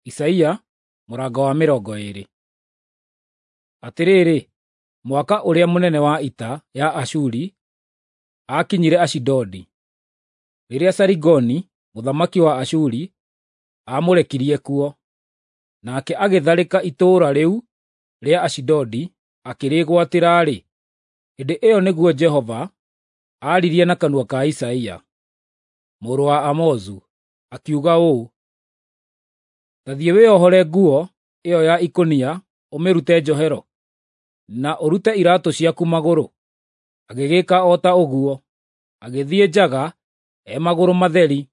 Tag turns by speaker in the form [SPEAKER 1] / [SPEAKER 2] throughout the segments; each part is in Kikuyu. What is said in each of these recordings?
[SPEAKER 1] Isaia mũrango wa 20. Atĩrĩrĩ, mwaka ũrĩa mũnene wa ita ya Ashuri aakinyire Ashidodi, rĩrĩa Sarigoni mũthamaki wa Ashuri aamũrekirie kuo, nake agĩtharĩka itũũra rĩu rĩa Ashidodi akĩrĩĩgwatĩra-rĩ, hĩndĩ ĩyo nĩguo Jehova aaririe na kanua ka Isaia mũrũ wa Amozu, akiuga ũũ: “Ta thiĩ wĩohore nguo ĩyo ya ikũnia ũmĩrute njohero, na ũrute iraatũ ciaku magũrũ.” Agĩgĩĩka o ta ũguo, agĩthiĩ njaga e magũrũ matheri.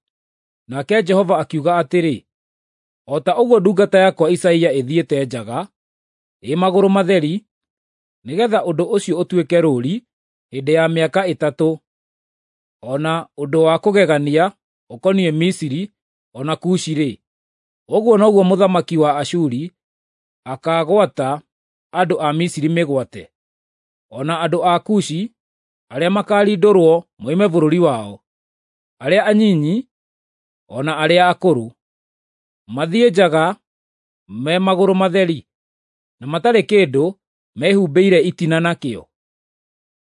[SPEAKER 1] Nake Jehova akiuga atĩrĩ, “O ta ũguo ndungata yakwa Isaia ĩthiĩte njaga ĩ magũrũ matheri, nĩgeetha ũndũ ũcio ũtuĩke rũũri hĩndĩ ya mĩaka 3, o na ũndũ wa kũgegania ũkoniĩ Misiri o na Kushi-rĩ, ũguo noguo mũthamaki wa Ashuri akaagwata andũ a Misiri mĩgwate, o na andũ a Kushi arĩa makaarindũrwo moime bũrũri wao, arĩa anyinyi o na arĩa akũrũ, mathiĩ njaga me magũrũ matheri, na matarĩ kĩndũ mehumbĩire itina nakĩo.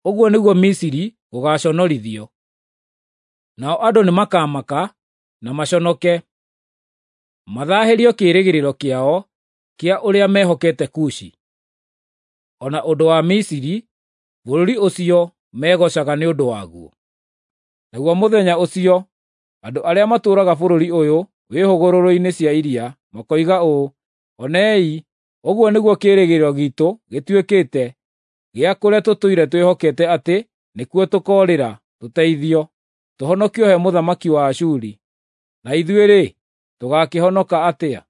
[SPEAKER 1] Ũguo nĩguo Misiri gũgaaconorithio. Nao andũ nĩmakamaka na maconoke, mathaahĩrio kĩĩrĩgĩrĩro kĩao kĩa ũrĩa mehokete Kushi, o na ũndũ wa Misiri, bũrũri ũcio megoocaga nĩ ũndũ waguo. Naguo mũthenya ũcio andũ arĩa matũũraga bũrũri ũyũ wĩ hũgũrũrũ-inĩ cia iria makoiga ũũ, ‘Onei, ũguo nĩguo kĩĩrĩgĩrĩro giitũ gĩtuĩkĩte gĩa kũrĩa tũtũire twĩhokete atĩ nĩkuo tũkoorĩra tũteithio, tũhonokio he mũthamaki wa Ashuri. Na ithuĩ-rĩ, tũgaakĩhonoka atĩa?’ ”